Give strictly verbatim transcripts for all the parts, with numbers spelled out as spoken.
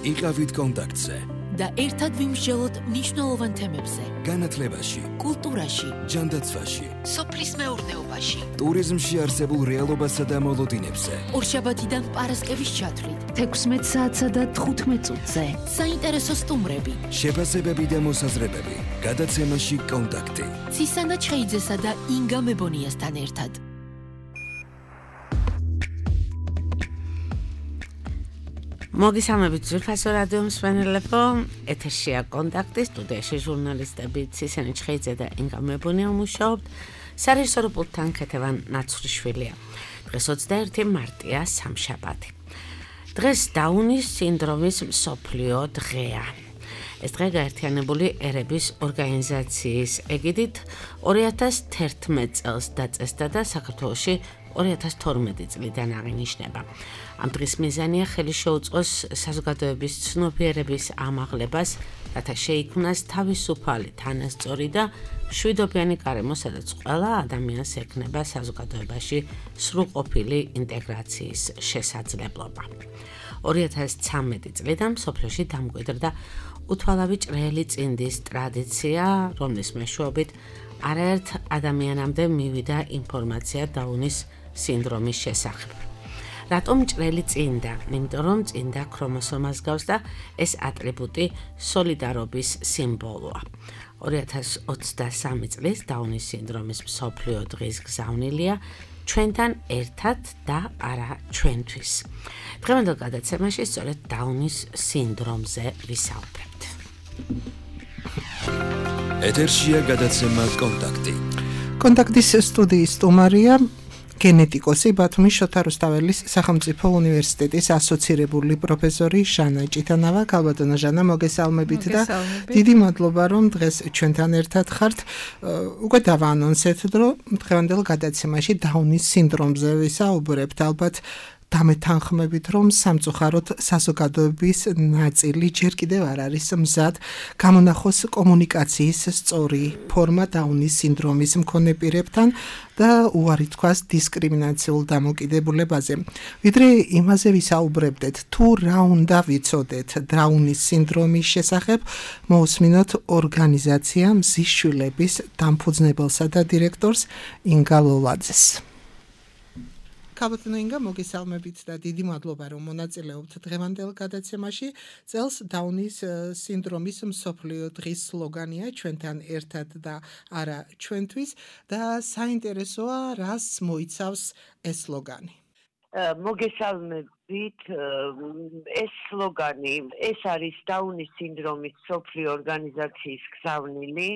იყავით კონტაქტზე და ერთად ვიმსჯელოთ მნიშვნელოვან თემებზე. განათლებაში, კულტურაში, ჯანდაცვაში, სოფლის მეურნეობაში, ტურიზმში არსებულ რეალობასა და მოლოდინებზე. ორშაბათიდან პარასკევის ჩათვლით, თექვსმეტ საათსა და თხუთმეტ წუთზე. საინტერესო სტუმრები, შეფასებები და მოსაზრებები. გადაცემაში კონტაქტი. ცისანა ჩხეიძესა და ინგა მებონიასთან ერთად. მოგესალმებით ძვირფასო რადიო მსმენელებო, ეთერშია კონტაქტი, სტუდიაში ჟურნალისტები ცისანა ჩხეიძე და ინგა მებონია მუშაობთ, სარეჟისორო პულტთან ქეთევან ნაცვრიშვილია. დღეს ოცდაერთი მარტია, სამშაბათი. დღეს დაუნის სინდრომის მსოფლიო დღეა. ეს დღე გაერთიანებული ერების ორგანიზაციის ეგიდით ორი ათას თერთმეტ წელს დაწესდა და საქართველოში ორი ათას თორმეტი წლიდან აღინიშნება. ამ დღის მიზანია ხელი შეუწყოს საზოგადოების ცნობიერების ამაღლებას, რათა შეიქმნას თავისუფალი, თანასწორი და მშვიდობიანი გარემო, სადაც ყველა ადამიანს ექნება საზოგადოებაში სრულყოფილი ინტეგრაციის შესაძლებლობა. ორი ათას ცხრამეტი წლიდან მსოფლიოში დამკვიდრდა უთვალავი ჭრელი წინდის ტრადიცია, რომლის მეშვეობით არაერთ ადამიანამდე მივიდა ინფორმაცია დაუნის სინდრომის შესახებ. რატომ ჭრელი წინდა? იმიტომ რომ წინდა ქრომოსომას გავს და ეს ატრიბუტი სოლიდარობის სიმბოლოა. ორი ათას ოცდასამი წლის დაუნის სინდრომის მსოფლიო დღის გზავნილია ჩვენთან ერთად და არა ჩვენთვის. დღევანდელ გადაცემაში სწორედ დაუნის სინდრომზე ვისაუბრებთ. ეთერშია გადაცემა კონტაქტი. კონტაქტის სტუდიის სტუმარია გენეტიკოსი ბათუმის შოთა რუსთაველის სახელმწიფო უნივერსიტეტის ასოცირებული პროფესორი ჟანა ჭიტანავა. ქალბატონო ჟანა, მოგესალმებით და დიდი მადლობა რომ დღეს ჩვენთან ერთად ხართ. უკვე დავაანონსეთ, რომ დღევანდელ გადაცემაში დაუნის სინდრომზე ვისაუბრებთ. ალბათ დამეთანხმებით, რომ სამწუხაროდ საზოგადოების ნაწილი ჯერ კიდევ არ არის მზად გამონახოს კომუნიკაციის სწორი ფორმა დაუნის სინდრომის მქონე პირებთან და უარი თქვას დისკრიმინაციულ დამოკიდებულებაზე. ვიდრე იმაზე ვისაუბრებდეთ, თუ რა უნდა ვიცოდეთ დაუნის სინდრომის შესახებ, მოусმინოთ ორგანიზაცია მზის შვილების დამფუძნებელსა და დირექტორს ინგა ლოლაძეს. ქალბატონო ინგა, მოგესალმებით და დიდი მადლობა რომ მონაწილეობთ დღევანდელ გადაცემაში. წელს დაუნის სინდრომის მსოფლიო დღის სლოგანია ჩვენთან ერთად და არა ჩვენთვის და საინტერესოა რას მოიცავს ეს სლოგანი. მოგესალმებით, ეს სლოგანი, ეს არის დაუნის სინდრომის მსოფლიო ორგანიზაციის გზავნილი,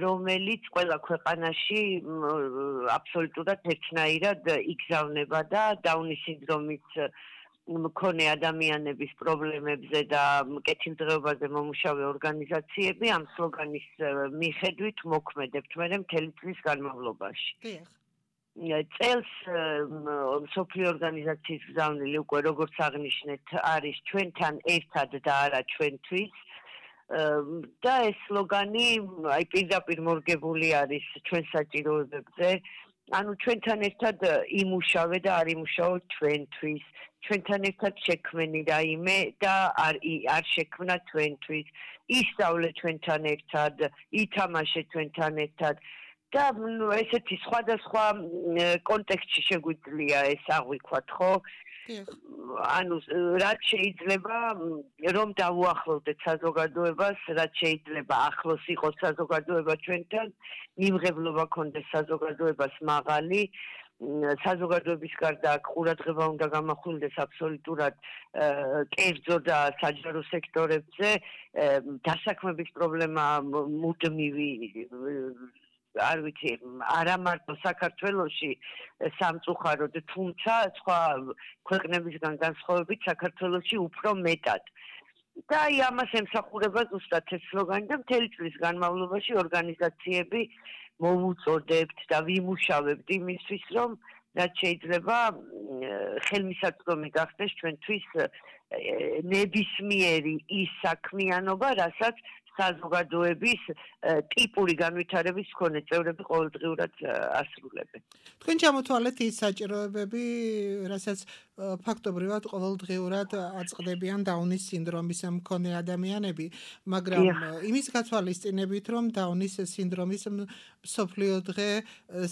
რომელიც ყველა ქვეყანაში აბსოლუტურად ერთნაირად იგზავნება და დაუნის სინდრომის მქონე ადამიანების პრობლემებზე და კეთილდღეობაზე მომუშავე ორგანიზაციები ამ სლოგანის მიხედვით მოქმედებთ მერე მთელი წლის განმავლობაში. წელს მსოფლიო ორგანიზაციის გზავნილი უკვე როგორც აღნიშნეთ არის ჩვენთან ერთად და არა ჩვენთვის. და ეს სლოგანი აი პირდაპირ მორგებული არის ჩვენ საჭიროებებზე. ანუ ჩვენთან ერთად იმუშავე და არ იმუშაო ჩვენთვის. ჩვენთან ერთად შექმენი რაიმე და არ არ შექმნა ჩვენთვის. ისწავლე ჩვენთან ერთად, ითამაშე ჩვენთან ერთად და ნუ ესეთი სხვადასხვა კონტექსტში შეგვიძლია ეს აღვიქვათ, ხო? ანუ რაც შეიძლება რომ დავუახლოვდეთ საზოგადოებას, რაც შეიძლება ახლოს იყოს საზოგადოება ჩვენთან, მიმღებლობა ქონდეს საზოგადოებას მაღალი, საზოგადოების გარდა ყურადღება უნდა გამახვილდეს აბსოლუტურად კერძო და საჯარო სექტორებზე, დასაქმების პრობლემა მუდმივი არ ვიცი, არა მარტო საქართველოში სამწუხაროდ, თუმცა სხვა ქვეყნებისგან განსხვავებით საქართველოში უფრო მეტად. და აი ამას ემსახურება ზუსტად ეს სლოგანი და მთელი წლის განმავლობაში ორგანიზაციები მოვუწოდებთ და ვიმუშავებთ იმისთვის, რომ რაც შეიძლება ხელმისაწვდომი გახდეს ჩვენთვის ნებისმიერი ის საქმიანობა, რასაც საზოგადოების ტიპური განვითარების მქონე წევრები ყოველდღიურად ასრულებენ. თქვენ ჩამოთვალეთ ის საჭიროებები, რასაც ფაქტობრივად ყოველდღიურად აწყდებიან დაუნის სინდრომის მქონე ადამიანები, მაგრამ იმის გათვალისწინებით, რომ დაუნის სინდრომის მსოფლიო დღე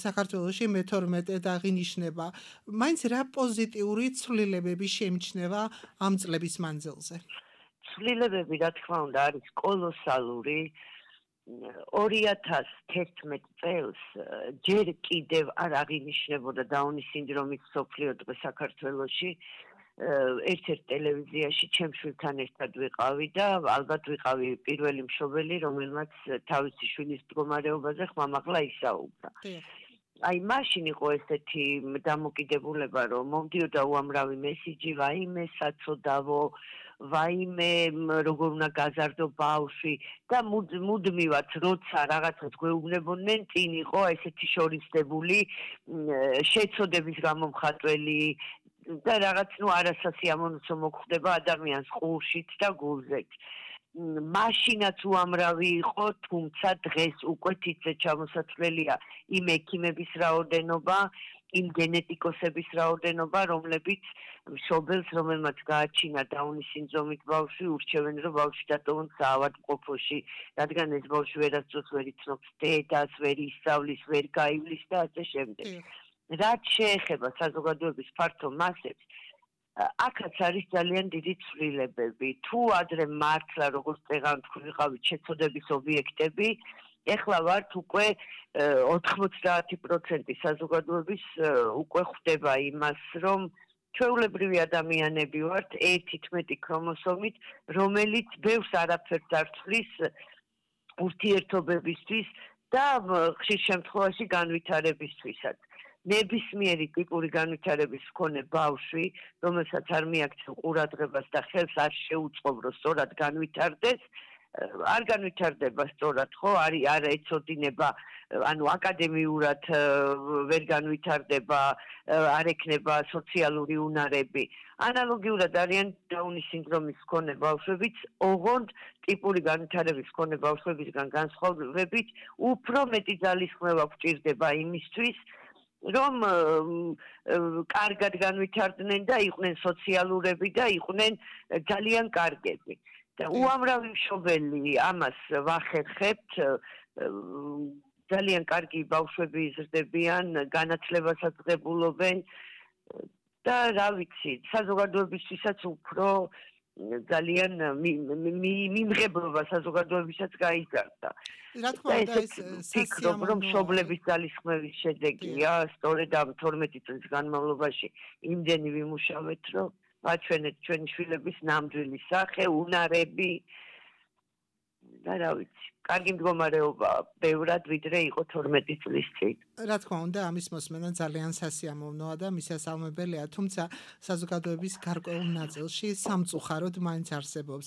საქართველოში მეთორმეტედ აღინიშნება, მაინც რა პოზიტიური ცვლილებები შეიმჩნევა ამ წლების მანძილზე? ცვლილებები, რა თქმა უნდა, არის კოლოსალური. ორი ათას თერთმეტ წელს ჯერ კიდევ არ აღინიშნებოდა დაუნის სინდრომის მსოფლიო დღე საქართველოში. ერთ-ერთ ტელევიზიაში ჩემ შვილთან ერთად ვიყავი და ალბათ ვიყავი პირველი მშობელი, რომელმაც თავისი შვილის მდგომარეობაზე ხმამაღლა ისაუბრა. აი მაშინ იყო ესეთი დამოკიდებულება, რომ მომდიოდა უამრავი მესიჯი, ვაიმე საწოდავო, ვაიმე როგორ უნდა გაზარდო ბავშვი და მუდმივად როცა რაღაცას გვეუბნებოდნენ, წინ იყო ესეთი შორისდებული შეცოდების გამომხატველი და რაღაც ნუ არასასიამოვნო მოხვდება ადამიანს ყურშიც და გულზეც. მაშინაც უამრავი იყო, თუმცა დღეს უკვე თითზე ჩამოსაცვლელია იმ ექიმების რაოდენობა, იმ გენეტიკოსების რაოდენობა, რომლებიც მშობელს, რომელმაც გააჩინა დაუნის სინდრომით ბავშვი, ურჩევენ, რომ ბავშვი დატოვონ საავადმყოფოში, რადგან ეს ბავშვი ვერასდროს ვერ იცნობს დედას, ვერ ისწავლის, ვერ გაივლის და ასე შემდეგ. რაც შეეხება საზოგადოების ფართო მასებს, აქაც არის ძალიან დიდი ცვლილებები. თუ ადრე მართლა როგორც წეგან თქვენ ვიყავით შეცოდების ობიექტები, ეხლა ვართ უკვე ოთხმოცდაათი პროცენტი საზოგადოების უკვე ხვდება იმას, რომ ჩვეულებრივი ადამიანები ვართ ერთი თერთმეტი ქრომოსომით, რომელიც ბევრს არაფერს არ ცვლის ურთიერთობებისთვის და ხშირ შემთხვევაში განვითარებისთვისაც. ნებისმიერი ტიპური განვითარების მქონე ბავშვი, რომელსაც არ მიაქცევ ყურადღებას და ხელს არ შეუწყობ, რომ სწორად განვითარდეს, არ განვითარდება სწორად, ხო, არის არ ეცოდინება, ანუ აკადემიურად ვერ განვითარდება, არ ექნება სოციალური უნარები. ანალოგიურად არიან დაუნის სინდრომის მქონე ბავშვებიც, ოღონდ ტიპური განვითარების მქონე ბავშვებისგან განსხვავებით, უფრო მეტი ძალისხმევა გვჭირდება იმისთვის, რომ კარგად განვითარდნენ და იყვნენ სოციალურები და იყვნენ ძალიან კარგები. და უამრავი მშობელი ამას ვახერხებთ, ძალიან კარგი ბავშვები იზრდებიან, განათლებასაც ღებულობენ და რა ვიცი, საზოგადოებისთვისაც უფრო ძალიან მიმღებლობა საზოგადოებისაც გაიზარდა. რა თქმა უნდა, ეს ფიქრობ, რომ მშობლების ძალისხმევის შედეგია, სწორედ ამ თორმეტი წლის განმავლობაში იმდენი ვიმუშავეთ, რომ ვაჩვენეთ ჩვენი შვილების ნამდვილი სახე, უნარები და რა ვიცი, კარგი მდგომარეობა ბევრად ვიდრე იყო თორმეტი წლის წინ. რა თქმა უნდა, ამის მოსმენა ძალიან სასიამოვნოა და მისასალმებელია, თუმცა საზოგადოების გარკვეულ ნაწილში სამწუხაროდ მაინც არსებობს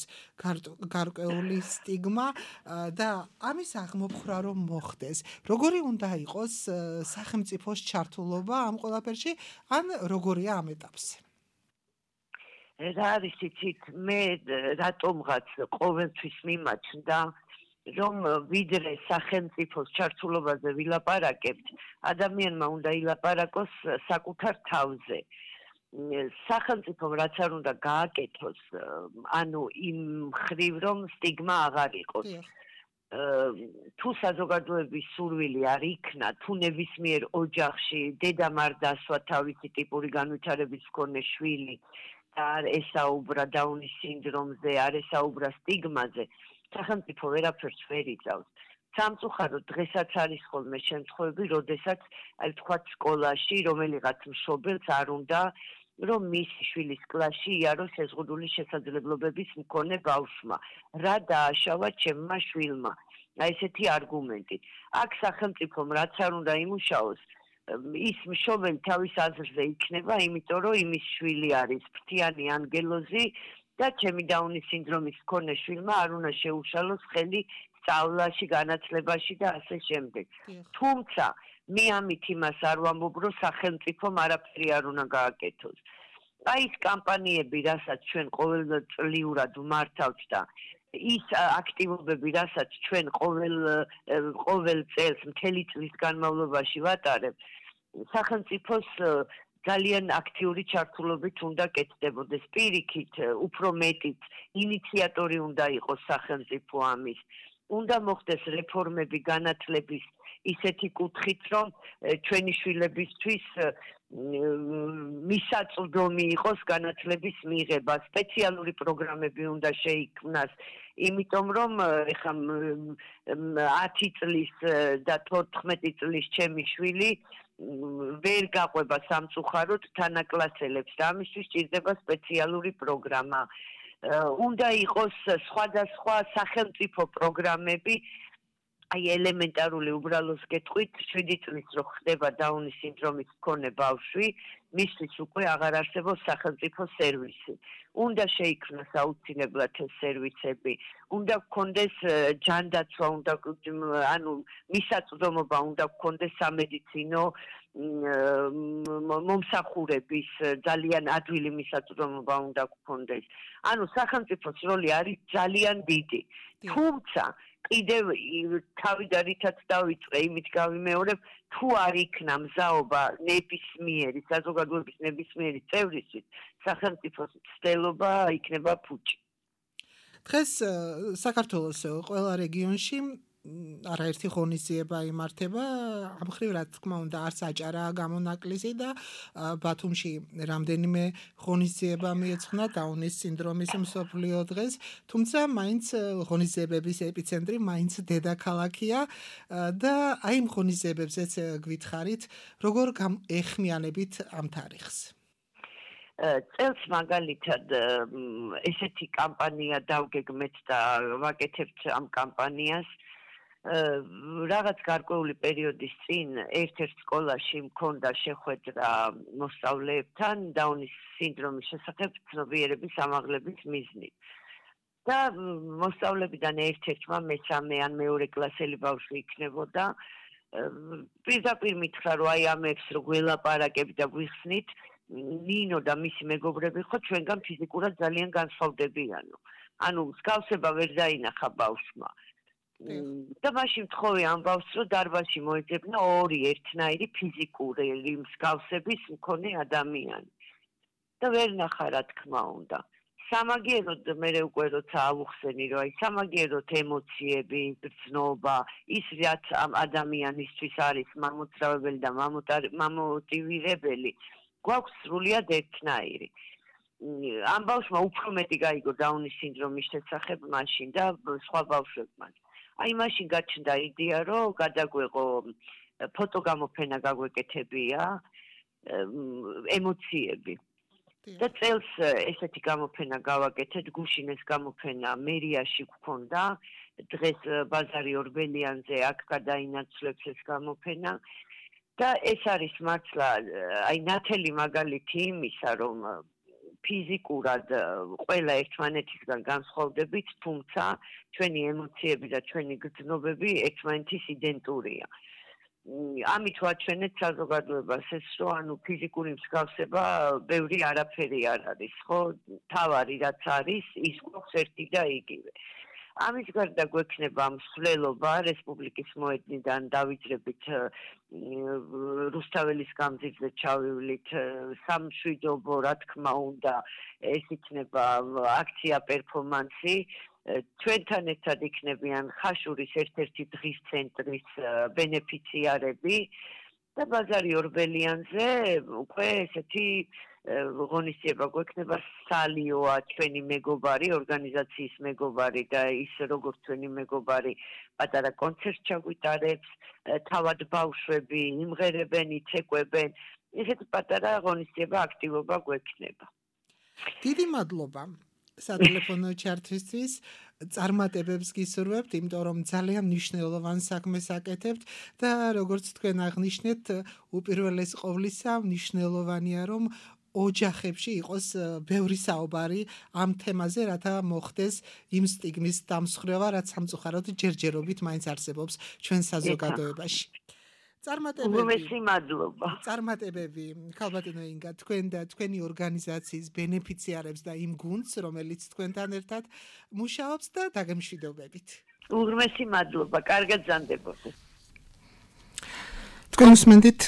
გარკვეული სტიგმა და ამის აღმოფხვრა რომ მოხდეს. როგორი უნდა იყოს სახელმწიფოს ჩართულობა ამ ყველაფერში, ან როგორია ამ ეტაპზე? რა არის იცით, მე რატომღაც ყოველთვის მიმაჩნდა, რომ ვიდრე სახელმწიფოს ჩართულობაზე ვილაპარაკებთ, ადამიანმა უნდა ილაპარაკოს საკუთარ თავზე. სახელმწიფომ რაც არ უნდა გააკეთოს, ანუ იმ მხრივ რომ სტიგმა აღარ იყოს. თუ საზოგადოების სურვილი არ იქნა, თუ ნებისმიერ ოჯახში დედამ არ დასვა თავისი ტიპური განვითარების მქონე შვილი, არ ესაუბრა დაუნის სინდრომზე, არ ესაუბრა სტიგმაზე, სახელმწიფო ვერაფერს ვერ იწავს. სამწუხაროდ დღესაც არის ხოლმე შემთხვევები, როდესაც აი თქვათ სკოლაში რომელიღაც მშობელს არ უნდა, რომ მისი შვილის კლასში იაროს შეზღუდული შესაძლებლობების მქონე ბავშვმა. რა დააშავა ჩემმა შვილმა? აი ესეთი არგუმენტი. აქ სახელმწიფომ რაც არ უნდა იმუშაოს, ის მშობელი თავის აზრზე იქნება, იმიტომ რომ იმის შვილი არის ფრთიანი ანგელოზი და ჩემი დაუნის სინდრომის მქონე შვილმა არ უნდა შეუშალოს ხელი სწავლაში, განათლებაში და ასე შემდეგ. თუმცა მე ამით იმას არ ვამბობ, რომ სახელმწიფომ არაფერი არ უნდა გააკეთოს. აი ეს კამპანიები, რასაც ჩვენ ყოველწლიურად ვმართავთ და ის აქტივობები, რასაც ჩვენ ყოველ ყოველ წელს მთელი წლის განმავლობაში ვატარებთ, სახელმწიფოს ძალიან აქტიური ჩართულობით უნდა კეთდებოდეს. პირიქით, უფრო მეტიც ინიციატორი უნდა იყოს სახელმწიფო ამის. უნდა მოხდეს რეფორმები განათლების ისეთი კუთხით, რომ ჩვენი შვილებისთვის მისაწვდომი იყოს განათლების მიღება. სპეციალური პროგრამები უნდა შეიქმნას, იმიტომ რომ ეხლა ათი წლის და თოთხმეტი წლის ჩემი შვილი ვერ გაყვება სამწუხაროდ თანაკლასელებს და ამისთვის ჭირდება სპეციალური პროგრამა. უნდა იყოს სხვადასხვა სახელმწიფო პროგრამები, აი ელემენტარული უბრალოს გეტყვით, შვიდი წლის რო ხდება დაუნის სინდრომის მქონე ბავშვი, მისთვის უკვე აღარ არსებობს სახელმწიფო სერვისი. უნდა შეიქმნას აუცილებლად ეს სერვისები, უნდა გქონდეს ჯანდაცვა, უნდა ანუ მისაწვდომობა უნდა გქონდეს სამედიცინო მომსახურების ძალიან ადვილი მისაწვდომობა უნდა გქონდეს. ანუ სახელმწიფოს როლი არის ძალიან დიდი. თუმცა კიდევ თავიდანითაც დავიწყე, იმით გავიმეორებ, თუ არ იქნა მზაობა ნებისმიერი საზოგადოების ნებისმიერი წევრისთვის, სახელმწიფოს მცდელობა იქნება ფუჭი. დღეს საქართველოს ყველა რეგიონში არაერთი ღონისძიება იმართება, ამ მხრივ რა თქმა უნდა არც აჭარაა გამონაკლისი და ბათუმში რამდენიმე ღონისძიება მიეძღვნა დაუნის სინდრომის მსოფლიო დღეს, თუმცა მაინც ღონისძიებების ეპიცენტრი მაინც დედაქალაქია და აი იმ ღონისძიებებზეც გვითხრით, როგორ ეხმიანებით ამ თარიღს. წელს მაგალითად ესეთი კამპანია დავგეგმეთ და ვაკეთებთ ამ კამპანიას. რაღაც გარკვეული პერიოდის წინ ერთ-ერთ სკოლაში მქონდა შეხვედრა მოსწავლეებთან დაუნის სინდრომის შესახებ ცნობიერების ამაღლების მიზნით. და მოსწავლებიდან ერთ-ერთმა მესამე ან მეორე კლასელი ბავშვი იქნებოდა. პირდაპირ მითხრა, რომ აი ამებს რო გველაპარაკებ და გვიხსნით, ნინო და მისი მეგობრები ხო ჩვენგან ფიზიკურად ძალიან განსხვავდებიანო. ანუ მსგავსება ვერ დაინახა ბავშვმა. და მაშინ მთხოვე ამ ბავშვს, რომ დარბაზში მოეძებნა ორი ერთნაირი ფიზიკური მსგავსების მქონე ადამიანი. და ვერ ნახა რა თქმა უნდა. სამაგიეროდ მე უკვე როცა ავუხსენი, რომ აი სამაგიეროდ ემოციები, გრძნობა, ის რაც ამ ადამიანისთვის არის მამოძრავებელი და მამოტივირებელი, გვაქვს სრულიად ერთნაირი. ამ ბავშვმა უფრო მეტი გაიგო დაუნის სინდრომის შესახებ მაშინ და სხვა ბავშვებმა. აი მაშინ გაჩნდა იდეა, რომ გადაგვეღო ფოტოგამოფენა გაგვეკეთებია ემოციები. და წელს ესეთი გამოფენა გავაკეთეთ, გუშინეს გამოფენა მერიაში გქონდა, დღეს ბაზარი ორბელიანზე აქ გადაინაცვლებს ეს გამოფენა. და ეს არის მართლა აი ნათელი მაგალითი იმისა, რომ ფიზიკურად ყველა ერთმანეთისგან განსხვავდებით, თუმცა ჩვენი ემოციები და ჩვენი გრძნობები ერთმანეთის იდენტურია. ამით ვაჩვენეთ საზოგადოებას ეს, რომ ანუ ფიზიკური მსგავსება ბევრი არაფერი არ არის, ხო? თავარი რაც არის, ის გვაქვს ერთი და იგივე. ამის გარდა გვექნება მსვლელობა რესპუბლიკის მოედნიდან დავიძრებით რუსთაველის გამზირზე ჩავივლით სამშვიდობო, რა თქმა უნდა, ეს იქნება აქცია პერფორმანსი. ჩვენთან ერთად იქნებიან ხაშურის ერთ-ერთი დღის ცენტრის ბენეფიციარები და ბაზარი ორბელიანზე უკვე ესეთი ღონისძიება გვექნება სალიოა ჩვენი მეგობარი, ორგანიზაციის მეგობარი და ის როგორც ჩვენი მეგობარი პატარა კონცერტს ჩაგვიტარებს, თავად ბავშვები იმღერებენ, იცეკვებენ, ესეთი პატარა ღონისძიება აქტივობა გვექნება. დიდი მადლობა სატელეფონო ჩართვისთვის, წარმატებებს გისურვებთ, იმიტომ რომ ძალიან მნიშვნელოვან საქმეს აკეთებთ და როგორც თქვენ აღნიშნეთ, უპირველეს ყოვლისა მნიშვნელოვანია რომ ოჯახებში იყოს ბევრი საუბარი ამ თემაზე, რათა მოხდეს იმ სტიგმის დამსხვრევა, რაც სამწუხაროდ ჯერჯერობით მაინც არსებობს ჩვენ საზოგადოებაში. უღმესი მადლობა. წარმატებები ქალბატონო ინგა თქვენ და თქვენი ორგანიზაციის ბენეფიციარებს და იმ გუნდს, რომელიც თქვენთან ერთად მუშაობს და დაგემშვიდობებით. უღმესი მადლობა, კარგად ზანდებოდეთ. თქვენ უსმენთ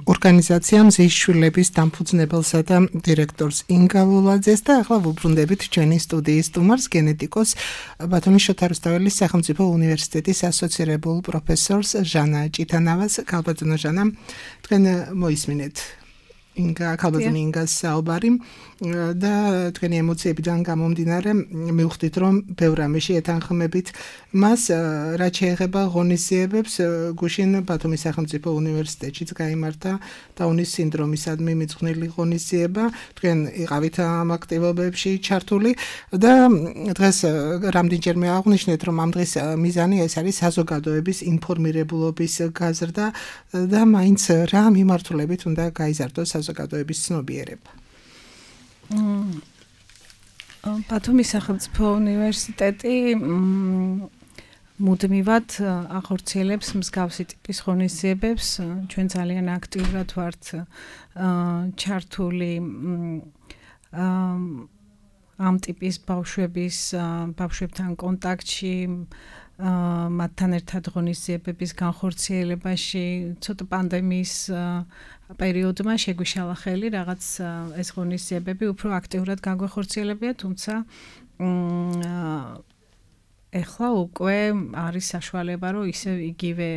ორგანიზაცია მზის შვილების დამფუძნებელსა და დირექტორს ინგა ლულაძეს და ახლა ვუბრუნდებით ჩვენი სტუდიის სტუმარს, გენეტიკოს ბათუმის შოთა რუსთაველის სახელმწიფო უნივერსიტეტის ასოცირებულ პროფესორს ჟანა ჭიტანავას. ქალბატონო ჟანა, თქვენ მოისმინეთ ინგა ქალბატონი ინგას საუბარი და თქვენი ემოციებიდან გამომდინარე მივხვდით, რომ ბევრ რამეში ეთანხმებით მას, რაც შეეხება ღონისძიებებს. გუშინ ბათუმის სახელმწიფო უნივერსიტეტშიც გაიმართა დაუნის სინდრომისადმი მიძღვნილი ღონისძიება. თქვენ იყავით ამ აქტივობებში ჩართული და დღეს რამდენჯერმე აღვნიშნეთ, რომ ამ დღის მიზანი ეს არის საზოგადოების ინფორმირებულობის გაზრდა და მაინც რა მიმართულებით უნდა გაიზარდოს საზოგადოების ცნობიერება. ბათუმის სახელმწიფო უნივერსიტეტი მუდმივად ახორციელებს მსგავსი ტიპის ღონისძიებებს. ჩვენ ძალიან აქტიურად ვართ ჩართული ამ ტიპის ბავშვების ბავშვებთან კონტაქტში, მათთან ერთად ღონისძიებების განხორციელებაში. ცოტა პანდემიის პერიოდმა შეგვიშალა ხელი რაღაც ეს ღონისძიებები უფრო აქტიურად გაგვეხორციელებია, თუმცა ეხლა უკვე არის საშუალება, რომ ისე იგივე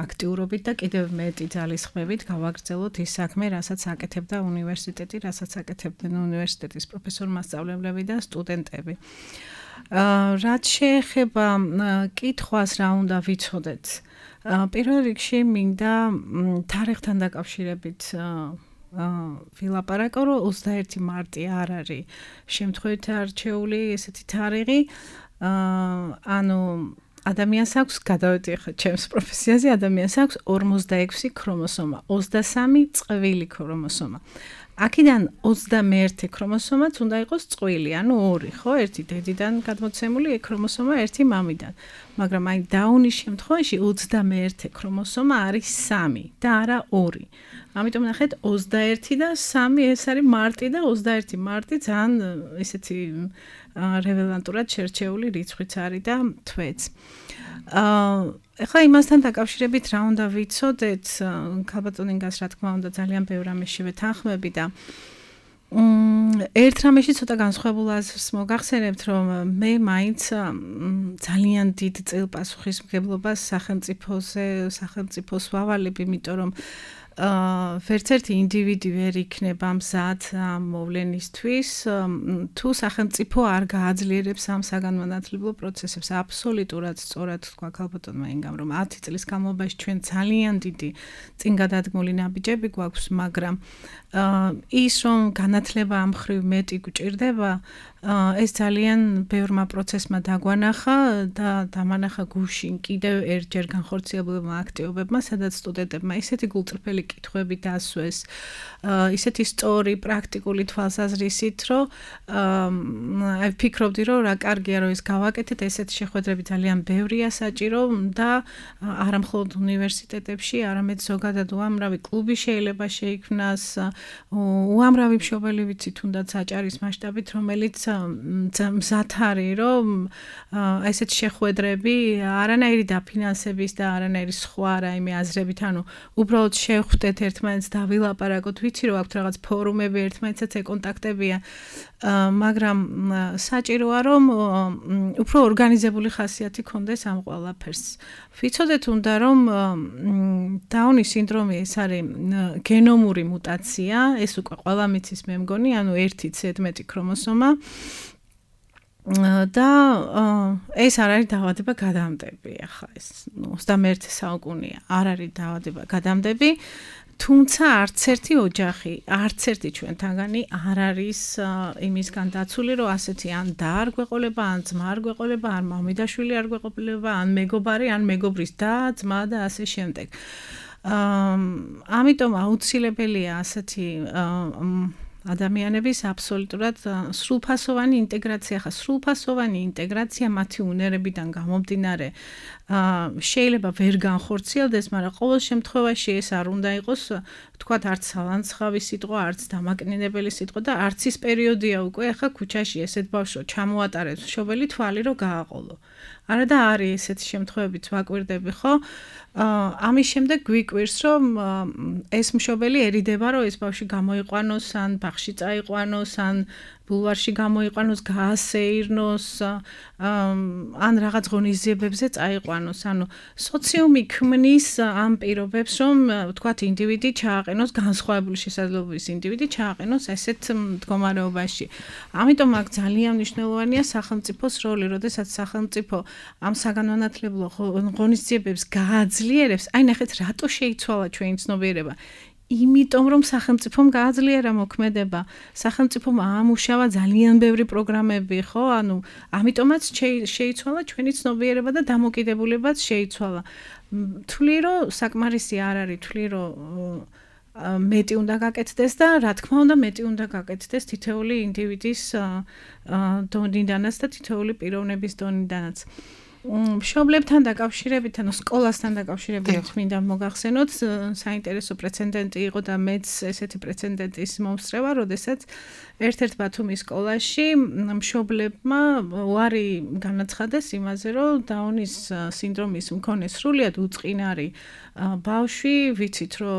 აქტიურობით და კიდევ მეტი ძალისხმევით გავაგრძელოთ ის საქმე, რასაც აკეთებდა უნივერსიტეტი, რასაც აკეთებდნენ უნივერსიტეტის პროფესორ-მასწავლებლები და სტუდენტები. რაც შეეხება კითხვას, რა უნდა ვიცოდეთ, პირველ რიგში მინდა თარიღთან დაკავშირებით ვილაპარაკო, რომ ოცდაერთი მარტი არ არის შემთხვევით არჩეული ესეთი თარიღი. ანუ ადამიანს აქვს, გადავედიხ ჩემს პროფესიაზე, ადამიანს აქვს ორმოცდაექვსი ქრომოსომა, ოცდასამი წყვილი ქრომოსომა. აქედან ოცდამეერთი ქრომოსომაც უნდა იყოს წყვილი, ანუ ორი, ხო? ერთი დედიდან გადმოცემული ქრომოსომა, ერთი მამიდან. მაგრამ აი დაუნის შემთხვევაში ოცდამეერთი ქრომოსომა არის სამი და არა ორი. ამიტომ ნახეთ, ოცდაერთი და სამი ეს არის მარტი და ოცდაერთი მარტი ძალიან ესეთი რელევანტურად შერჩეული რიცხვიც არის და თვეც. ეხლა იმასთან დაკავშირებით რა უნდა ვიცოდეთ, ქალბატონ ინგას რა თქმა უნდა ძალიან ბევრ რამეში ვეთანხმები და ერთ რამეში ცოტა განსხვავებულ აზრს მოგახსენებთ, რომ მე მაინც ძალიან დიდ წილპასუხისმგებლობას სახელმწიფოზე, სახელმწიფოს ვავალებ, იმიტომ რომ ვერც ერთი ინდივიდი ვერ იქნება მზად ამ მოვლენისთვის, თუ სახელმწიფო არ გააძლიერებს ამ საგანმანათლებლო პროცესებს. აბსოლუტურად სწორად თქვა ქალბატონმა ინგამ, რომ ათი წლის განმავლობაში ჩვენ ძალიან დიდი წინგადადგმული ნაბიჯები გვაქვს, მაგრამ ის რომ განათლება ამ მხრივ მეტი გვჭირდება, ეს ძალიან ბევრმა პროცესმა დაგვანახა და დამანახა გუშინ კიდევ ერთჯერ განხორციელებულმა აქტივობებმა, სადაც სტუდენტებმა ისეთი გულწრფელი კითხვები დასვეს, ისეთი სწორი პრაქტიკული თვალსაზრისით, რომ აი ვფიქრობდი, რომ რა კარგია, რომ ეს გავაკეთეთ, ესეთი შეხვედრები ძალიან ბევრია საჭირო და არა მხოლოდ უნივერსიტეტებში, არამედ ზოგადად უამრავი კლუბი შეიძლება შეიქმნას, უამრავი მშობელი ვიცი თუნდაც საჭარის მასშტაბით, რომელიც მზად არის, რომ ესეთი შეხვედრები არანაირი დაფინანსების და არანაირი სხვა რაიმე აზრებით, ანუ უბრალოდ შევხვდეთ ერთმანეთს და ვილაპარაკოთ, ვიცი რომ აქვს რაღაც ფორუმები, ერთმანეთსაც ეკონტაქტებია, მაგრამ საჭიროა რომ უფრო ორგანიზებული ხასიათი ქონდეს ამ ყველაფერს. ვიცოდეთ უნდა რომ დაუნის სინდრომი ეს არის გენომური მუტაცია, ეს უკვე ყველა მიცის მე მგონი, ანუ ერთი ზედმეტი ქრომოსომა და ეს არ არის დაავადება გადამდები, ახლა ეს ოცდამეერთი საუკუნეა, არ არის დაავადება გადამდები, თუმცა არც ერთი ოჯახი, არც ერთი ჩვენთანგანი არ არის იმისგან დაცული, რომ ასეთი ან და არ გვეყოლება, ან ძმა არ გვეყოლება, ან მამიდაშვილი არ გვეყოლება, ან მეგობარი, ან მეგობრის და ძმა და ასე შემდეგ. ამიტომ აუცილებელია ასეთი ადამიანების აბსოლუტურად სრულფასოვანი ინტეგრაცია, ხა სრულფასოვანი ინტეგრაცია მათი უნერებიდან გამომდინარე შეიძლება ვერ განხორციელდეს, მაგრამ ყოველ შემთხვევაში ეს არ უნდა იყოს, თქვათ, არც სალანცხავი სიტყვა, არც დამაკნინებელი სიტყვა და არც ის პერიოდია უკვე, ახლა ქუჩაში ესეთ ბავშვო ჩამოატარებს მშობელი თვალი რომ გააყოლო. არა და არის ესეთი შემთხვევებიც ვაკვირდები, ხო? ამის შემდეგ გვიკვირს, რომ ეს მშობელი ერიდება, რომ ეს ბავშვი გამოიყვანოს, ან ბაღში წაიყვანოს, ან ბულვარში გამოიყვანოს, გაასეირნოს, ან რაღაც ღონისძიებებზე წაიყვანოს. ანუ სოციუმი ქმნის ამ პირობებს, რომ ვთქვათ, ინდივიდი ჩააყენოს, განსხვავებული შესაძლებლობის ინდივიდი ჩააყენოს ესეთ მდგომარეობაში. ამიტომ აქ ძალიან მნიშვნელოვანია სახელმწიფოს როლი, როდესაც სახელმწიფო ამ საგანმანათლებლო ღონისძიებებს გააძლიერებს. აი ნახეთ, რატო შეიცვალა ჩვენი ცნობიერება? იმიტომ რომ სახელმწიფომ გააძლიერა მოქმედება, სახელმწიფომ აამუშავა ძალიან ბევრი პროგრამები, ხო? ანუ ამიტომაც შეიცვალა ჩვენი ცნობიერება და დამოკიდებულებაც შეიცვალა. თვლი რომ საკმარისი არ არის, თვლი რომ მეტი უნდა გაკეთდეს და რა თქმა უნდა მეტი უნდა გაკეთდეს თითოეული ინდივიდის დონიდანაც და თითოეული პიროვნების დონიდანაც. მშობლებთან დაკავშირებით, ანუ სკოლასთან დაკავშირებით მინდა მოგახსენოთ, საინტერესო პრეცედენტი იყო და მეც ესეთი პრეცედენტის მომსწრება, როდესაც ერთ-ერთ ბათუმის სკოლაში მშობლებმა უარი განაცხადეს იმაზე, რომ დაუნის სინდრომის მქონე სრულიად უწყინარი ბავშვი, ვიცით რომ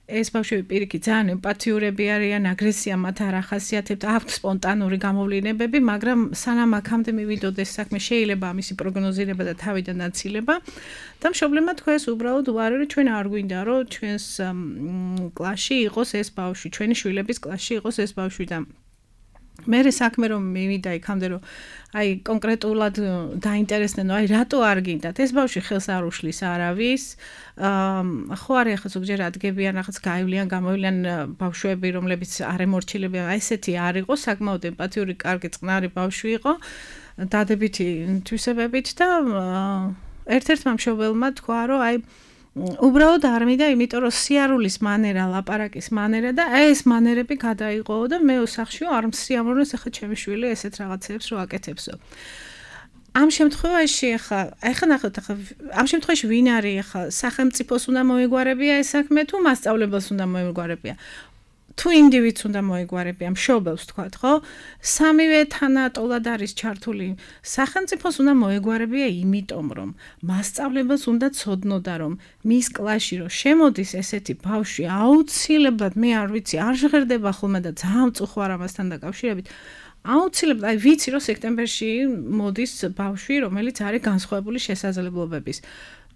ეს ბავშვები პირიქით ძალიან ემპათიურები არიან, აგრესია მათ არ ახასიათებთ, აქვთ სპონტანური გამოვლინებები, მაგრამ სანამ აქამდე მივიდოდეს საქმე, შეიძლება ამისი პროგნოზირება და თავიდან აცილება. და მშობლებმა თქვეს უბრალოდ უარი, რომ ჩვენ არ გვინდა, რომ ჩვენს კლასში იყოს ეს ბავშვი, ჩვენი შვილების კლასში იყოს ეს ბავშვი და მე საქმე რომ მივიდა იქამდე რომ აი კონკრეტულად დაინტერესდნენ, აი რატო არ გინდათ ეს ბავშვი ხელს არ უშლის არავის, ხო არის ახლა ზოგჯერ ადგებიან რაღაც გაივლიან, გამოივლიან ბავშვები, რომლებიც არ ემორჩილებიან, აი ესეთი არ იყო, საკმაოდ ემპათიური, კარგი, წყნარი ბავშვი იყო, დადებითი თვისებებით და ერთ-ერთმა მშობელმა თქვა, რომ აი უბრალოდ არ მინდა, იმიტომ რომ სიარულის მანერა, ლაპარაკის მანერა და ეს მანერები გადაიღო და მე ოსახშიო არ მსიამოვნებს ახლა ჩემი შვილი ესეთ რაღაცებს რო აკეთებსო. ამ შემთხვევაში ახლა, ახლა ნახოთ, ახლა ამ შემთხვევაში ვინ არის ახლა სახელმწიფოს უნდა მოეგვარებია ეს საქმე თუ მასწავლებელს უნდა მოეგვარებია? თუ ინდივიდს უნდა მოეგვარებია, მშობელს თქვათ, ხო? სამივე თანატოლად არის ჩართული. სახელმწიფოს უნდა მოეგვარებია იმიტომ, რომ მასწავლებელს უნდა ცოდნოდა, რომ მის კლასში რომ შემოდის ესეთი ბავშვი, აუცილებლად მე არ ვიცი, არ ჟღერდება ხოლმე და ძალიან მწუხვარ ამასთან დაკავშირებით. აუცილებლად, აი ვიცი, რომ სექტემბერში მოდის ბავშვი, რომელიც არის განსხვავებული შესაძლებლობების.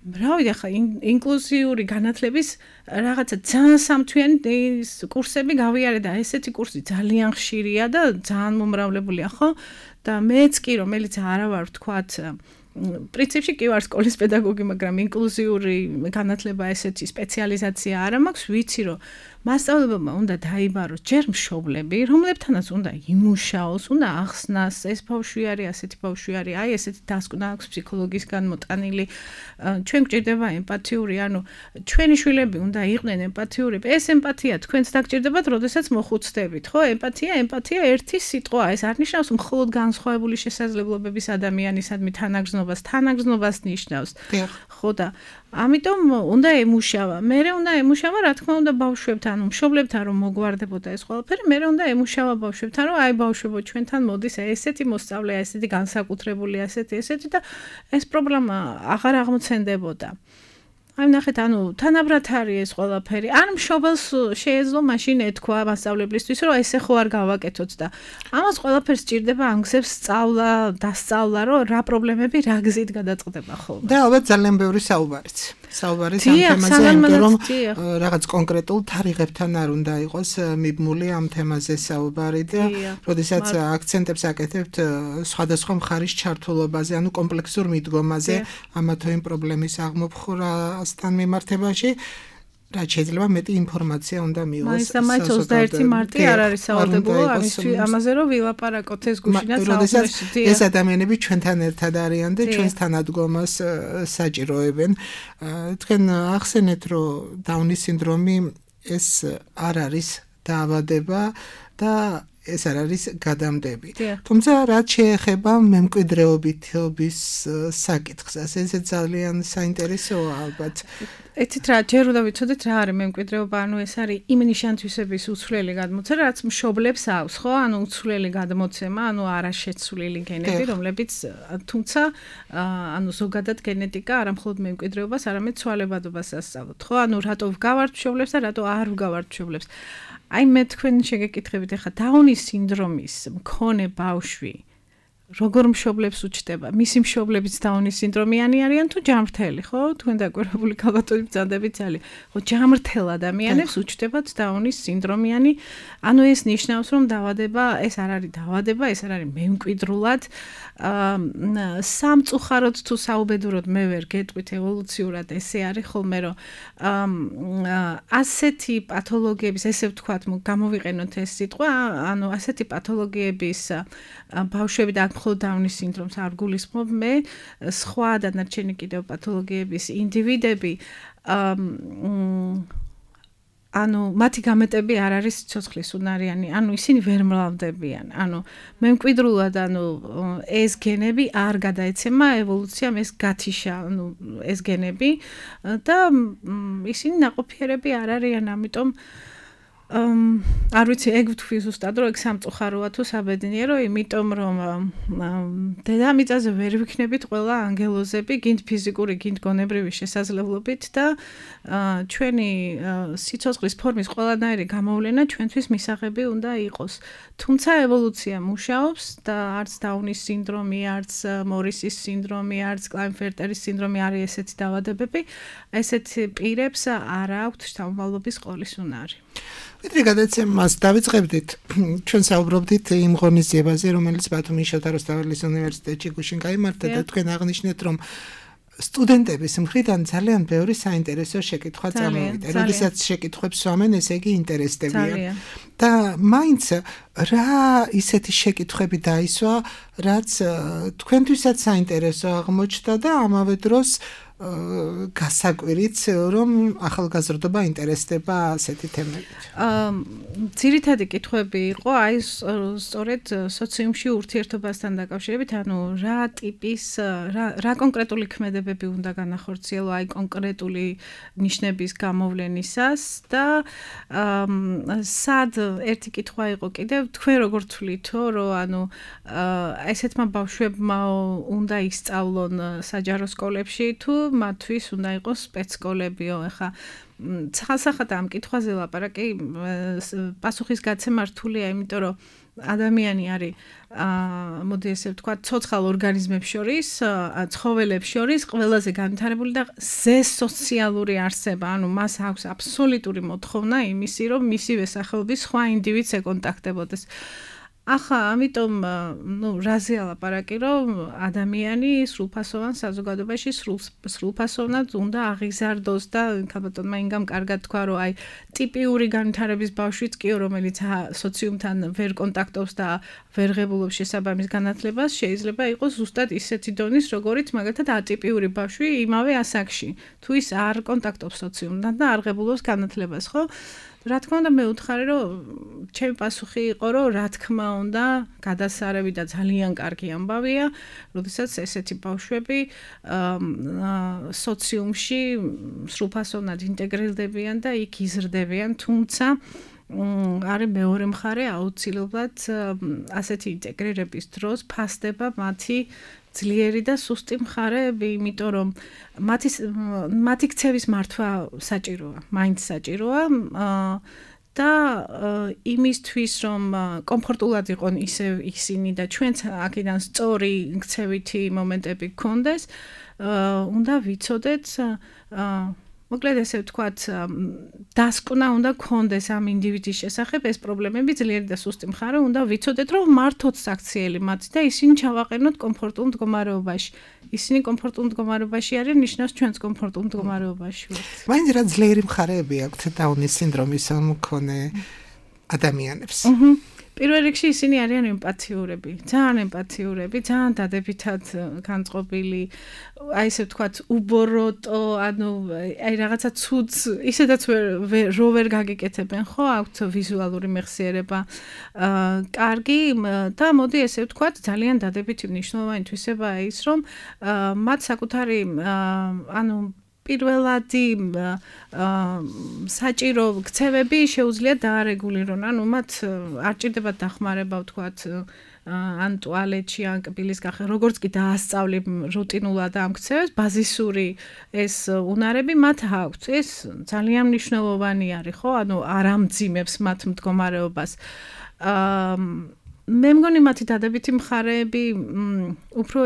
რავი, ახლა ინკლუზიური განათლების რაღაცა ძალიან სამთვიანი კურსები გავიარე და ესეთი კურსი ძალიან ხშირია და ძალიან მომრავლებულია, ხო? და მეც კი რომელიც არა ვარ, ვთქვათ, პრინციპში კი ვარ სკოლის პედაგოგი, მაგრამ ინკლუზიური განათლება ესეთი სპეციალიზაცია არ მაქვს, ვიცი რომ მასწავლებელმა უნდა დაიბაროს ჯერ მშობლები, რომლებთანაც უნდა იმუშაოს, უნდა ახსნას, ეს ბავშვი არის, ასეთი ბავშვი არის, აი ესეთი დასკვნა აქვს ფსიქოლოგისგან მოტანილი. ჩვენ გვჭირდება ემპათიური, ანუ ჩვენი შვილები უნდა იყვნენ ემპათიურები. ეს ემპათია თქვენც დაგჭირდებათ, როდესაც მოხუცდებით, ხო? ემპათია, ემპათია ერთი სიტყვაა, ეს არ ნიშნავს მხოლოდ განსხვავებული შესაძლებლობების ადამიანისადმი თანაგრძნობას, თანაგრძნობას ნიშნავს. ხო და ამიტომ უნდა ემუშავა. მერე უნდა ემუშავა, რა თქმა უნდა, ბავშვებთან, მშობლებთან რომ მოგვარდებოდა ეს ყველაფერი, მერე უნდა ემუშავა ბავშვებთან, რომ აი ბავშვებო, ჩვენთან მოდის ესეთი მოსწავლე, ესეთი განსაკუთრებული, ესეთი, ესეთი და ეს პრობლემა აღარ აღმოცენდებოდა. აი ნახეთ, ანუ თანაბრად არის ეს ყველაფერი. ან მშობელს შეეძლო მაშინ ეთქვა მასწავლებლისთვის, რომ ესე ხო არ გავაკეთოთ და ამას ყველაფერს სჭირდება ამგზებს სწავლა, დასწავლა, რომ რა პრობლემები რა გზით გადაწყდება ხოლმე. და ალბათ ძალიან ბევრი საუბარიც. საუბარიც ამ თემაზე, იმიტომ რომ რაღაც კონკრეტულ თარიღებთან არ უნდა იყოს მიბმული ამ თემაზე საუბარი და როდესაც აქცენტებს აკეთებთ სხვადასხვა მხარის ჩართულობაზე, ანუ კომპლექსურ მიდგომაზე ამა თუ იმ პრობლემის აღმოფხვრასთან მიმართებაში, რაც შეიძლება მეტი ინფორმაცია უნდა მიიღოს. მაინც ოცდაერთი მარტი არ არის სავალდებულო ამაზე რომ ვილაპარაკოთ ეს გუშინაც საუბრობთ. ეს ადამიანები ჩვენთან ერთად არიან და ჩვენს თანადგომას საჭიროებენ. თქვენ ახსენეთ, რომ დაუნის სინდრომი ეს არ არის დაავადება და ეს არ არის გადამდები. თუმცა რაც შეეხება მემკვიდრეობითობის საკითხს, ეს ძალიან საინტერესოა ალბათ. ეთით რა ჯერ უნდა ვიცოდეთ რა არის მემკვიდრეობა, ანუ ეს არის იმ ნიშანთვისების უცვლელი გადმოცემა, რაც მშობლებს აქვს, ხო? ანუ უცვლელი გადმოცემა, ანუ არაშეცვლილი გენები, რომლებიც თუმცა ანუ ზოგადად გენეტიკა არა მხოლოდ მემკვიდრეობას, არამედ ცვალებადობას ასწავლოთ, ხო? ანუ რატო ვგავართ მშობლებს და რატო არ ვგავართ მშობლებს. აი მე თქვენ შეგეკითხებით ახლა დაუნის სინდრომის მქონე ბავშვი როგორ მშობლებს უჩნდება? მისი მშობლებიც დაუნის სინდრომიანი არიან თუ ჯამრთელი, ხო? თქვენ დაკვირვებული ქალბატონი ბრძანდებით ძალიან. ხო, ჯამრთელ ადამიანებს უჩნდებათ დაუნის სინდრომიანი. ანუ ეს ნიშნავს, რომ დაავადება, ეს არ არის დაავადება, ეს არ არის მემკვიდრულად. აა სამწუხაროდ თუ საუბედუროდ მე ვერ გეტყვით ევოლუციურად ესე არის ხოლმე, რომ აა ასეთი პათოლოგიების, ესე ვთქვათ, გამოვიყენოთ ეს სიტყვა, ანუ ასეთი პათოლოგიების ბავშვები და მხოლოდ დაუნის სინდრომს არ გულისხმობ მე, სხვა დანარჩენი კიდევ პათოლოგიების ინდივიდები ანუ მათი გამეტები არ არის სიცოცხლის უნარიანი, ანუ ისინი ვერ მრავლდებიან. ანუ მემკვიდრულად, ანუ ეს გენები არ გადაეცემა ევოლუციამ, ეს გათიშა, ანუ ეს გენები და ისინი ნაყოფიერები არ არიან, ამიტომ არ ვიცი, ეგ ვთქვი ზუსტად, რომ ეგ სამწუხაროა თუ საბედნიერო, იმიტომ რომ დედამიწაზე ვერ ვიქნებით ყველა ანგელოზები, გინდ ფიზიკური, გინდ გონებრივი შესაძლებლობით და ჩვენი სიცოცხლის ფორმის ყველანაირი გამოვლენა ჩვენთვის მისაღები უნდა იყოს. თუმცა ევოლუცია მუშაობს და არც დაუნის სინდრომი, არც მორისის სინდრომი, არც კლაინფერტერის სინდრომი არის ესეთი დაავადებები, ესეთ პირებს არ აქვთ შთამომავლობის ყოლის უნარი. ვიდრე გადაცემას დავიწყებდით, ჩვენ საუბრობდით იმ ღონისძიებაზე, რომელიც ბათუმის შოთა რუსთაველის უნივერსიტეტში გუშინ გაიმართა და თქვენ აღნიშნეთ, რომ სტუდენტების მხრიდან ძალიან ბევრი საინტერესო შეკითხვა წამოვიდა. როდესაც შეკითხვებს სვამენ, ესე იგი ინტერესდებიან. და მაინც რა ისეთი შეკითხვები დაისვა, რაც თქვენთვისაც საინტერესო აღმოჩნდა და ამავე დროს გასაკვირიც, რომ ახალგაზრდობა ინტერესდება ასეთი თემებით. აა ძირითადი კითხვები იყო აი სწორედ სოციუმში ურთიერთობასთან დაკავშირებით, ანუ რა ტიპის რა რა კონკრეტული ქმედებები უნდა განახორციელო აი კონკრეტული ნიშნების გამოვლენისას და აა სად ერთი კითხვა იყო კიდევ თქვენ როგორ თვლითო, რომ ანუ ესეთმა ბავშვებმა უნდა ისწავლონ საჯარო სკოლებში თუ მათთვის უნდა იყოს სპეცსკოლებიო. ახლა ცალსახად ამ კითხვაზე ლაპარაკი პასუხის გაცემა რთულია, იმიტომ რომ ადამიანი არის აა მოდი ესე ვთქვა, ცოცხალ ორგანიზმებს შორის, ცხოველებს შორის ყველაზე განვითარებული და ზესოციალური არსება, ანუ მას აქვს აბსოლუტური მოთხოვნა იმისი, რომ მისივე სახეობის სხვა ინდივიდს ეკონტაქტებოდეს. ახლა ამიტომ ნუ რაზეა ლაპარაკი, რომ ადამიანი სრულფასოვან საზოგადოებაში სრულფასოვნად უნდა აღიზარდოს და ქალბატონმა ინგამ კარგად თქვა, რომ აი ტიპიური განვითარების ბავშვიც კიო, რომელიც სოციუმთან ვერ კონტაქტობს და ვერ ღებულობს შესაბამის განათლებას, შეიძლება იყოს ზუსტად ისეთი დონის, როგორიც მაგალითად ატიპიური ბავშვი იმავე ასაკში, თუ ის არ კონტაქტობს სოციუმთან და არ ღებულობს განათლებას, ხო? რა თქმა უნდა მე ვუთხარი, რომ ჩემი პასუხი იყო, რომ რა თქმა უნდა გადასარევი და ძალიან კარგი ამბავია, როდესაც ესეთი ბავშვები სოციუმში სრულფასოვნად ინტეგრირდებიან და იქ იზრდებიან, თუმცა არის მეორე მხარე, აუცილებლად ასეთი ინტეგრირების დროს ფასდება მათი ძლიერი და სუსტი მხარეები, იმიტომ რომ მათი მათი ქცევის მართვა საჭიროა, მაინც საჭიროა და იმისთვის, რომ კომფორტულად იყვნენ ისე ისინი და ჩვენც აქედან სწორი ქცევითი მომენტები გქონდეს, უნდა ვიცოდეთ მოკლედ ესე ვთქვათ, დასკვნა უნდა გქონდეს ამ ინდივიდის შესახებ, ეს პრობლემები ძლიერი და სუსტი მხარე უნდა ვიცოდეთ, რომ მართოთ საქციელი მათი და ისინი ჩავაყენოთ კომფორტულ მდგომარეობაში. ისინი კომფორტულ მდგომარეობაში არიან, ნიშნავს ჩვენც კომფორტულ მდგომარეობაში ვართ. მაინც რა ძლიერი მხარეები აქვთ დაუნის სინდრომის მქონე ადამიანებს. პირველ რიგში ისინი არიან ემპათიურები, ძალიან ემპათიურები, ძალიან დადებითად განწყობილი, აი ესე ვთქვათ, უბოროტო, ანუ აი რაღაცა ცუდს, ისედაც რო ვერ გაგიკეთებენ, ხო, აქვთ ვიზუალური მეხსიერება, აა, კარგი და მოდი ესე ვთქვათ, ძალიან დადებითი მნიშვნელოვანი თვისებაა ის, რომ მათ საკუთარი ანუ პირველადი საჭირო ქცევები შეუძლიათ დაარეგულირონ, ანუ მათ არ ჭირდებათ დახმარება, ვთქვათ, ან ტუალეტში, ან კბილის გახსნა, როგორც კი დაასწავლებ რუტინულად ამ ქცევებს, ბაზისური ეს უნარები მათ აქვთ. ეს ძალიან მნიშვნელოვანი არის, ხო? ანუ არ ამძიმებს მათ მდგომარეობას. აა მე მგონი მათი დადებითი მხარეები უფრო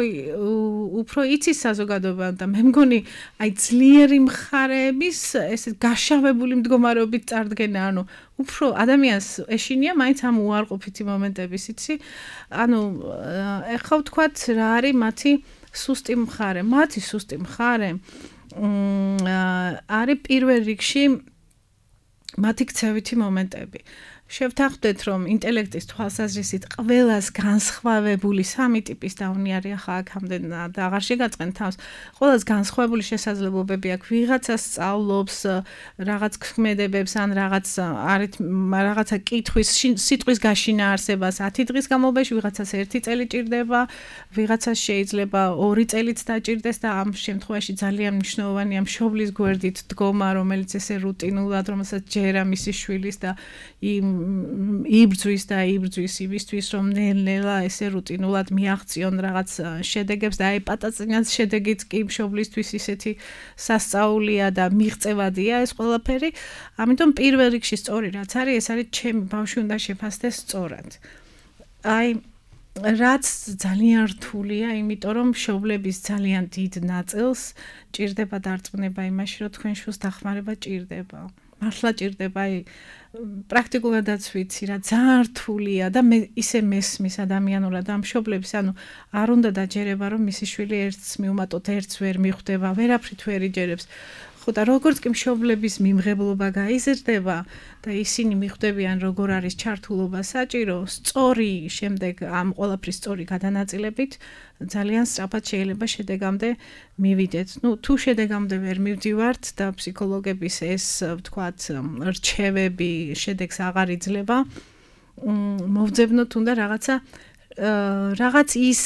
უფრო იცის საზოგადოება და მე მგონი აი ძლიერი მხარეების ესე გაშავებული მდგომარეობით წარდგენა, ანუ უფრო ადამიანს ეშინია მაინც ამ უარყოფითი მომენტების, იცი? ანუ ეხლა ვთქვათ რა არის მათი სუსტი მხარე. მათი სუსტი მხარე არის პირველ რიგში მათი ქცევითი მომენტები. შევთანხმდეთ, რომ ინტელექტის თვალსაზრისით ყველას განსხვავებული სამი ტიპის დაუნი არის, ახლა აქამდე და აღარ შეგაწყენ თავს. ყველას განსხვავებული შესაძლებლობები აქვს. ვიღაცას სწავლობს რაღაც ქმედებებს ან რაღაც არით რაღაცა კითხვის სიტყვის გაშინა არსებას ათი დღის განმავლობაში, ვიღაცას ერთი წელი ჭირდება, ვიღაცას შეიძლება ორი წელიც დაჭირდეს და ამ შემთხვევაში ძალიან მნიშვნელოვანია მშობლის გვერდით დგომა, რომელიც ესე რუტინულად, რომელსაც ჯერა მისი შვილის და იმ იბრძვის და იბრძვის იმისთვის, რომ ნელ-ნელა ესე რუტინულად მიაღწიონ რაღაც შედეგებს და აი პატაწინას შედეგიც კი მშობლისთვის ისეთი სასწაულია და მიღწევადია ეს ყველაფერი. ამიტომ პირველ რიგში სწორი რაც არის, ეს არის ჩემი ბავშვი უნდა შეფასდეს სწორად. აი რაც ძალიან რთულია, იმიტომ რომ მშობლების ძალიან დიდ ნაწილს ჭირდება დარწმუნება იმაში, რომ თქვენ შვილს დახმარება ჭირდება. მართლა ჭირდება, აი პრაქტიკულადაც ვიცი რა ძალიან რთულია და მე ისე მესმის ადამიანურად ამ მშობლებს, ანუ არ უნდა დაჯერება რომ მისი შვილი ერთს მიუმატოთ, ერთს ვერ მიხვდება, ვერაფრით ვერ იჯერებს. ხო და როგორც კი მშობლების მიმღებლობა გაიზრდება და ისინი მიხვდებიან როგორ არის ჩართულობა საჭირო, სწორი შემდეგ ამ ყველაფრის სწორი გადანაწილებით ძალიან სწრაფად შეიძლება შედეგამდე მივიდეთ. ნუ თუ შედეგამდე ვერ მივდივართ და ფსიქოლოგების ეს ვთქვათ რჩევები შედეგს აღარ იძლევა, მოვძებნოთ უნდა რაღაცა რაღაც ის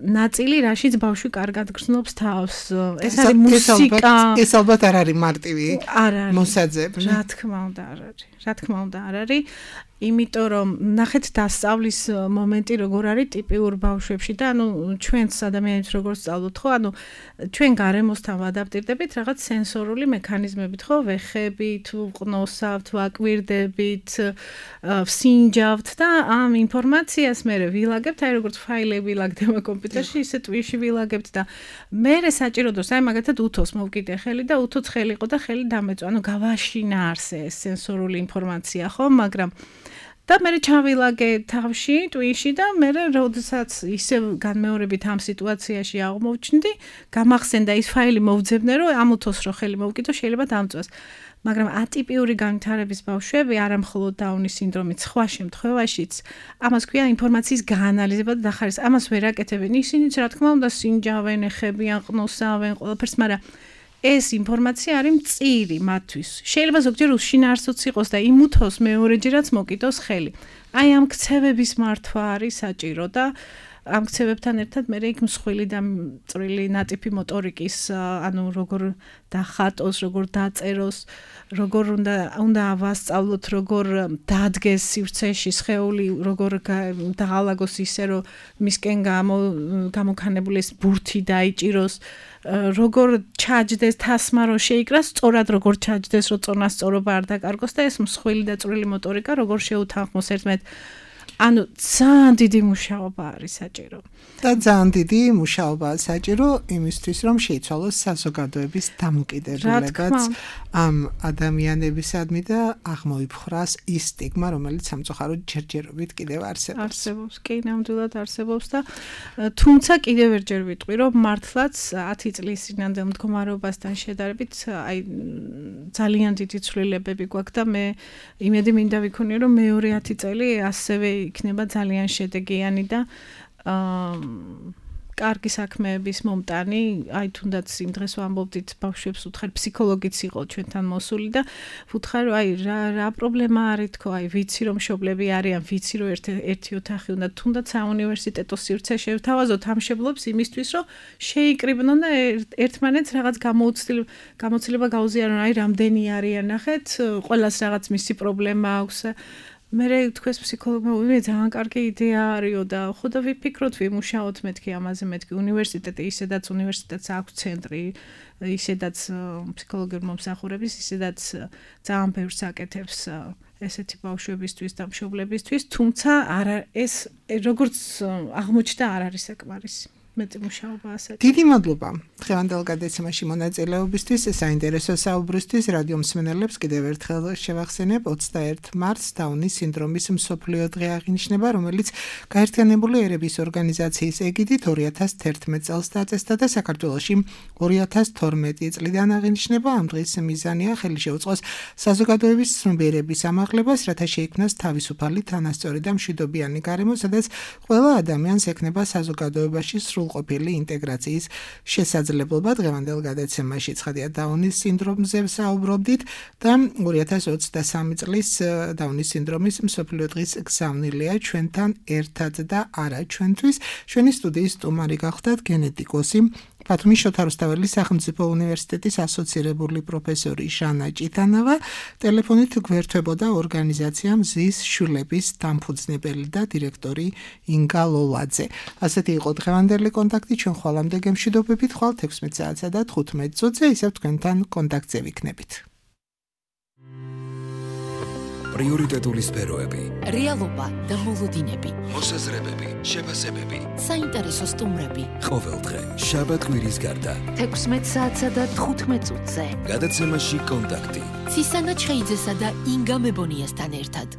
ნაწილი, რაშიც ბავშვი კარგად გრძნობს თავს. ეს არის მუსიკა. ეს ალბათ არ არის მარტივი მოსაძებნი. რა თქმა უნდა არ არის. რა თქმა უნდა არ არის. იმიტომ რომ ნახეთ დასწავლის მომენტი როგორ არის ტიპიურ ბავშვებში და ანუ ჩვენც ადამიანებს როგორ სწავლობთ, ხო? ანუ ჩვენ გარემოსთან ვადაპტირდებით რაღაც სენსორული მექანიზმებით, ხო? ვეხებით, ვყნოსავთ, ვაკვირდებით, ვსინჯავთ და ამ ინფორმაციას მე ვილაგებთ, აი როგორც ფაილები ვილაგდება კომპიუტერში, ისე ტვიში ვილაგებთ და მე საჭირო დროს აი მაგათად უთოს მოვკიდე ხელი და უთოც ხელი იყო და ხელი დამეწვა. ანუ გავაშინაარსე ეს სენსორული ინფორმაცია, ხო? მაგრამ და მე ჩავილაგე თავში, ტვიში და მე როდესაც ისე განმეორებით ამ სიტუაციაში აღმოჩნდი, გამახსენდა ის ფაილი მოვძებნე, რომ ამ უთოს რო ხელი მოვკიდო, შეიძლება დამწვას. მაგრამ ატიპიური განვითარების ბავშვები, არამხოლოდ დაუნის სინდრომით, სხვა შემთხვევაშიც, ამას ქვია ინფორმაციის გაანალიზება და დახარისხება. ამას ვერ აკეთებენ. ისინიც რა თქმა უნდა სინჯავენ, ეხებიან, ყნოსავენ, ყველაფერს, მაგრამ ეს ინფორმაცია არის მწირი მათთვის. შეიძლება ზოგჯერ უშინაარსოც იყოს და იმუთოს მეორეჯერაც მოკიდოს ხელი. აი ამ ქცევების მართვა არის საჭირო და ამ ქცევებთან ერთად მე იქ მსხვილი და წვრილი ნატიფი მოტორიკის, ანუ როგორ დახატოს, როგორ დაწეროს, როგორ უნდა უნდა ავასწავლოთ, როგორ დადგეს სივრცეში სხეული, როგორ დაღალაგოს ისე, რომ მისკენ გამოგანებული ეს ბურთი დაიჭიროს, როგორ ჩაჯდეს თასმა, რომ შეიკრას, სწორად როგორ ჩაჯდეს, რომ წონასწორობა არ დაკარგოს და ეს მსხვილი და წვრილი მოტორიკა როგორ შეუთანხმოს ერთმანეთს. ანუ ძალიან დიდი მუშაობა არის საჭირო. და ძალიან დიდი მუშაობაა საჭირო იმისთვის, რომ შეიცვალოს საზოგადოების დამოკიდებულებაც ამ ადამიანებისადმი და აღმოიფხრას ის სტიგმა, რომელიც სამწუხაროდ ჯერჯერობით კიდევ არსებობს. არსებობს, კი, ნამდვილად არსებობს და თუმცა კიდევ ერჯერ ვიტყვი, რომ მართლაც ათი წლის წინანდელ მდგომარეობასთან შედარებით, აი ძალიან დიდი ცვლილებები გვაქვს და მე იმედი მინდა ვიქონიო, რომ მეორე ათი წელი ასევე იქნება ძალიან შედეგიანი და აა კარგი საქმეების მომტანი, აი თუნდაც იმ დღეს ვამბობდით ბავშვებს უთხარ ფსიქოლოგიც იყო ჩვენთან მოსული და ვუთხარ აი რა რა პრობლემა არის თქო, აი ვიცი რომ მშობლები არიან, ვიცი რომ ერთ ერთი ოთახი უნდა თუნდაც საუნივერსიტეტო სივრცე შევთავაზოთ ამ მშობლებს იმისთვის რომ შეიკრიბნონ და ერთმანეთს რაღაც გამოუცდილ გამოცდილება გაუზიარონ, აი რამდენი არიან ნახეთ, ყველას რაღაც მისი პრობლემა აქვს. მე თქვენს ფსიქოლოგმა ვიმე ძალიან კარგი იდეა არისო და ხო და ვიფიქროთ ვიმუშაოთ მეთქი ამაზე მეთქი უნივერსიტეტი ისედაც უნივერსიტეტს აქვს ცენტრი ისედაც ფსიქოლოგიური მომსახურების ისედაც ძალიან ბევრს აკეთებს ესეთი ბავშვებისთვის და მშობლებისთვის თუმცა არა ეს როგორც აღმოჩნდა არ არის საკმარისი მეტი მუშაობა ასეთი. დიდი მადლობა დღევანდელ გადაცემაში მონაწილეობისთვის, საინტერესო საუბრისთვის. რადიო მსმენელებს კიდევ ერთხელ შევახსენებ ოცდაერთი მარტს დაუნის სინდრომის მსოფლიო დღე აღინიშნება, რომელიც გაერთიანებული ერების ორგანიზაციის ეგიდით ორი ათას თერთმეტ წელს დაწესდა და საქართველოში ორი ათას თორმეტი წლიდან აღინიშნება. ამ დღის მიზანია ხელი შეუწყოს საზოგადოების ცნობიერების ამაღლებას, რათა შეიქმნას თავისუფალი, თანასწორი და მშვიდობიანი გარემო, სადაც ყველა ადამიანს ექნება საზოგადოებაში სრულყოფილი ინტეგრაციის შესაძლებლობა. დღევანდელ გადაცემაში ცხადია დაუნის სინდრომზე ვსაუბრობდით და ორი ათას ოცდასამი წლის დაუნის სინდრომის მსოფლიო დღის გზავნილია ჩვენთან ერთად და არა ჩვენთვის. ჩვენი სტუდიის სტუმარი გახლდათ გენეტიკოსი ბათუმის შოთა რუსთაველის სახელმწიფო უნივერსიტეტის ასოცირებული პროფესორი ჟანა ჭიტანავა. ტელეფონით გვერდებოდა ორგანიზაცია მზის შვილების დამფუძნებელი და დირექტორი ინგა ლოლაძე. ასეთი იყო დღევანდელი კონტაქტი. ჩვენ ხვალამდე გემშვიდობებით, ხვალ ექვსმეტ საათსა და თხუთმეტ წუთზე ისევ თქვენთან კონტაქტზე ვიქნებით. პრიორიტეტული სფეროები, რეალობა და მოლოდინები, მოსაზრებები, შეფასებები, საინტერესო სტუმრები. ყოველდღე, შაბათ-კვირის გარდა, ექვსმეტ საათსა და თხუთმეტ წუთზე. გადაცემაში კონტაქტი. ცისანა ჩხეიძესა და ინგა მებონიასთან ერთად.